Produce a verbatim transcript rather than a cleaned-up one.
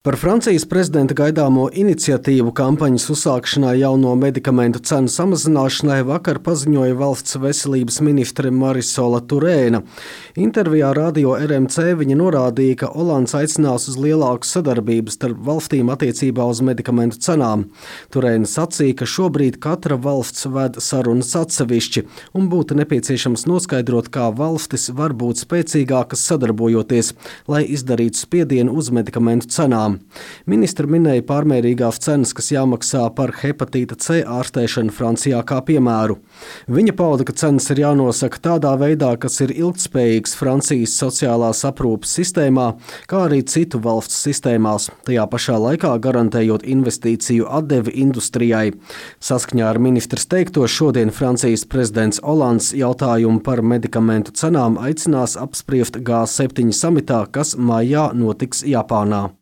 Par Francijas prezidenta gaidāmo iniciatīvu kampaņas uzsākšanai jauno medikamentu cenu samazināšanai vakar paziņoja valsts veselības ministre Marisola Turēna. Intervijā radio R M C viņa norādīja, ka Olands aicinās uz lielāku sadarbību starp valstīm attiecībā uz medikamentu cenām. Turēna sacīja, ka šobrīd katra valsts ved sarunas atsevišķi un būtu nepieciešams noskaidrot, kā valstis var būt spēcīgākas sadarbojoties, lai izdarītu spiedienu uz medikamentu cenām. Ministra minēja pārmērīgās cenas, kas jāmaksā par hepatīta C ārstēšanu Francijā kā piemēru. Viņa pauda, ka cenas ir jānosaka tādā veidā, kas ir ilgtspējīgs Francijas sociālās aprūpes sistēmā, kā arī citu valstu sistēmās, tajā pašā laikā garantējot investīciju atdevi industrijai. Saskaņā ar ministras teikto šodien Francijas prezidents Olands jautājumu par medikamentu cenām aicinās apspriest G septiņi samitā, kas maijā notiks Japānā.